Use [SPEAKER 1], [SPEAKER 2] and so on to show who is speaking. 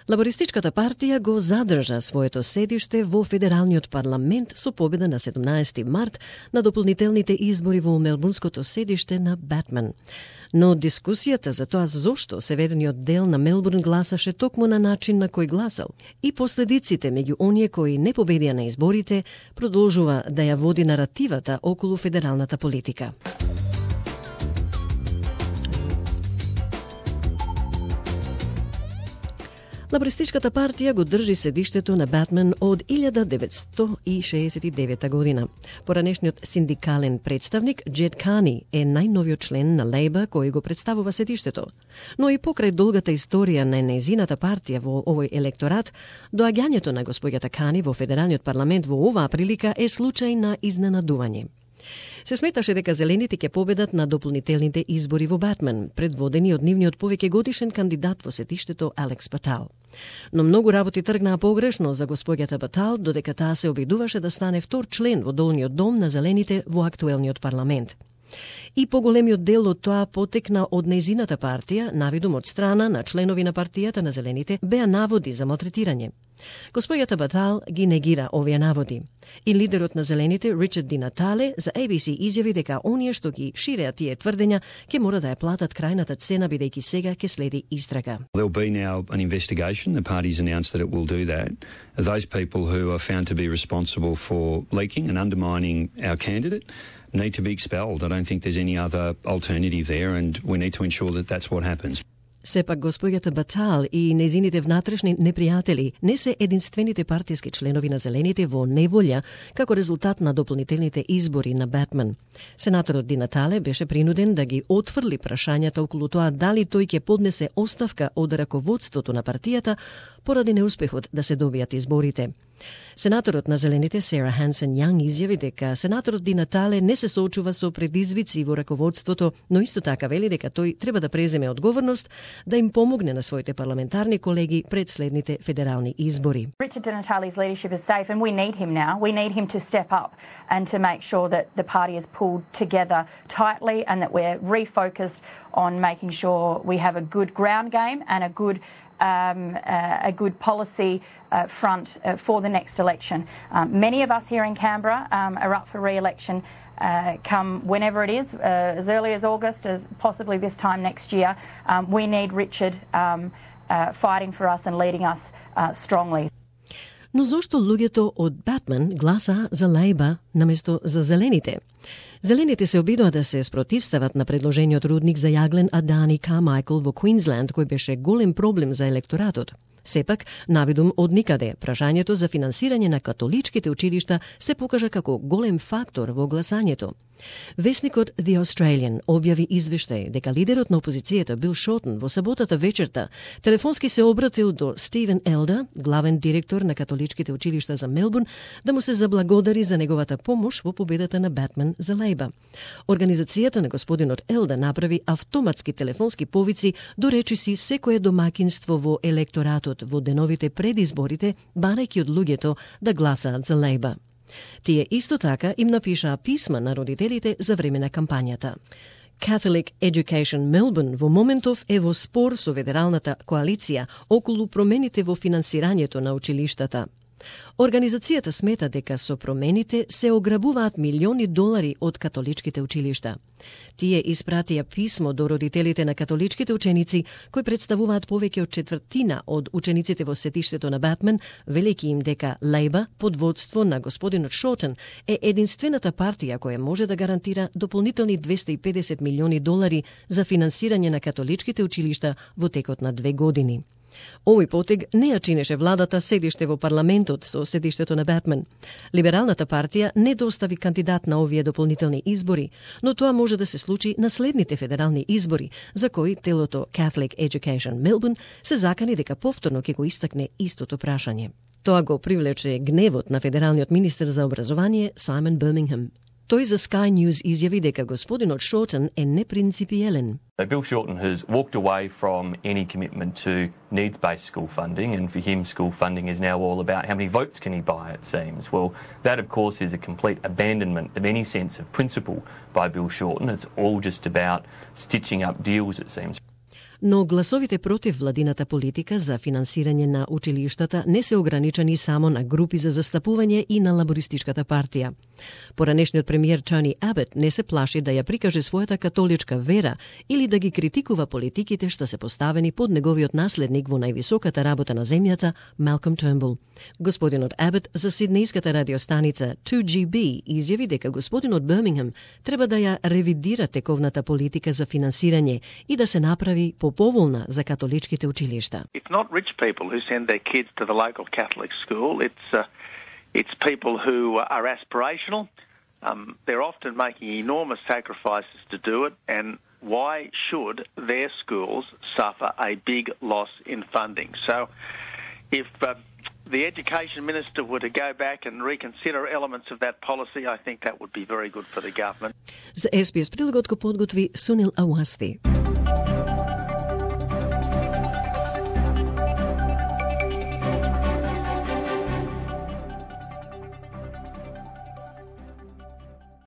[SPEAKER 1] Лабористичката партија го задржа своето седиште во Федералниот парламент со победа на 17 март на дополнителните избори во мелбурнското седиште на Батман. Но дискусијата за тоа зошто северниот дел на Мелбурн гласаше токму на начин на кој гласал и последиците меѓу оние кои не победија на изборите продолжува да ја води наративата околу федералната политика. Лабористичката партија го држи седиштето на Батман од 1969 година. Поранешниот синдикален представник Джед Кани е најновиот член на Лейба кој го представува седиштето. Но и покрај долгата историја на нејзината партија во овој електорат, доаѓањето на господјата Кани во Федералниот парламент во оваа прилика е случај на изненадување. Се сметаше дека зелените ќе победат на дополнителните избори во Батман, предводени од нивниот повеќе годишен кандидат во сетиштето Алекс Патал. Но многу работи тргнаа погрешно за господјата Патал, додека таа се обидуваше да стане втор член во долниот дом на зелените во актуелниот парламент. И поголемиот дел од тоа потекна од нејзината партија, навидум од страна на членови на партијата на зелените, беа наводи за малтретирање. Господјата Батал ги негира овие наводи. И лидерот на зелените, Ричард Ди Натале, за ABC изјави дека оние што ги ширеа тие тврдења ќе мора да ја платат крајната цена бидејќи сега ќе следи истрага.
[SPEAKER 2] There'll be now an investigation. The party's announced that it will do that. Those people who are found to be responsible for leaking and undermining our candidate need to be expelled. I don't think there's any other alternative there, and we need to ensure that that's what happens.
[SPEAKER 1] Сепак господјата Батал и нејзините внатрешни непријатели не се единствените партиски членови на зелените во неволја како резултат на дополнителните избори на Батман. Сенаторот Ди Натале беше принуден да ги отфрли прашањата околу тоа дали тој ќе поднесе оставка од раководството на партијата поради неуспехот да се добијат изборите. Сенаторот на зелените Сара Хансен Јанг изјави дека сенаторот Ди Натале не се соочува со предизвици во раководството, но исто така вели дека тој треба да преземе одговорност да им помогне на своите парламентарни колеги пред следните федерални избори.
[SPEAKER 3] Richard Di Natale's leadership is safe and we need him now. We need him to step up and to make sure that the party is pulled together tightly and that we're refocused on making sure we have a good ground game and a good policy front for the next election. Many of us here in Canberra are up for re-election come whenever it is, as early as August, as possibly this time next year. We need Richard fighting for us and leading us strongly.
[SPEAKER 1] Но зошто луѓето од Батман гласа за Лейба наместо за зелените? Зелените се обидоа да се спротивстават на предложениот рудник за јаглен Адани Кармајкл во Квинсленд, кој беше голем проблем за електоратот. Сепак, навидум од никаде, прашањето за финансирање на католичките училишта се покажа како голем фактор во гласањето. Весникот The Australian објави извештај дека лидерот на опозицијата Бил Шотен во саботата вечерта телефонски се обратил до Стивен Елда, главен директор на католичките училишта за Мелбурн, да му се заблагодари за неговата помош во победата на Батман за Лейба. Организацијата на господинот Елда направи автоматски телефонски повици до речиси секое домакинство во електоратот во деновите пред изборите, барајќи од луѓето да гласаат за Лейба. Тие исто така им напишаа писма на родителите за време на кампањата. Catholic Education Melbourne во моментов е во спор со федералната коалиција околу промените во финансирањето на училиштата. Организацијата смета дека со промените се ограбуваат милиони долари од католичките училишта. Тие испратија писмо до родителите на католичките ученици, кои представуваат повеќе од четвртина од учениците во сетиштето на Батман, велејќи им дека Лейба, под водство на господинот Шотен, е единствената партија која може да гарантира дополнителни 250 милиони долари за финансирање на католичките училишта во текот на 2 години. Овој потег не ја чинеше владата седиште во парламентот со седиштето на Батман. Либералната партија не достави кандидат на овие дополнителни избори, но тоа може да се случи на следните федерални избори, за кои телото Catholic Education Melbourne се закани дека повторно ќе го истакне истото прашање. Тоа го привлече гневот на федералниот министер за образование Саймон Бирмингем. Тој за Sky News изјави дека господинот Шотен е непринципиелен.
[SPEAKER 4] Bill Shorten has walked away from any commitment to needs-based school funding, and for him school funding is now all about how many votes can he buy, it seems. Well, that of course is a complete abandonment of any sense of principle by Bill Shorten. It's all just about stitching up deals, it seems.
[SPEAKER 1] Но гласовите против владината политика за финансирање на училиштата не се ограничени само на групи за застапување и на лабористичката партија. Поранешниот премиер Тони Абот не се плаши да ја прикаже својата католичка вера или да ги критикува политиките што се поставени под неговиот наследник во највисоката работа на земјата, Малком Тернбул. Господинот Абот за сиднејската радиостаница 2GB изјави дека господинот Бирмингем треба да ја ревидира тековната политика за финансирање и да се направи поповолна за католичките училишта.
[SPEAKER 5] It's not rich people who send their kids to the local Catholic school. It's people who are aspirational. They're often making enormous sacrifices to do it, and why should their schools suffer a big loss in funding? So if the Education Minister were to go back and reconsider elements of that policy, I think that would be very good for the government.
[SPEAKER 1] За SBS прилогот го подготви Сунил Ауасти.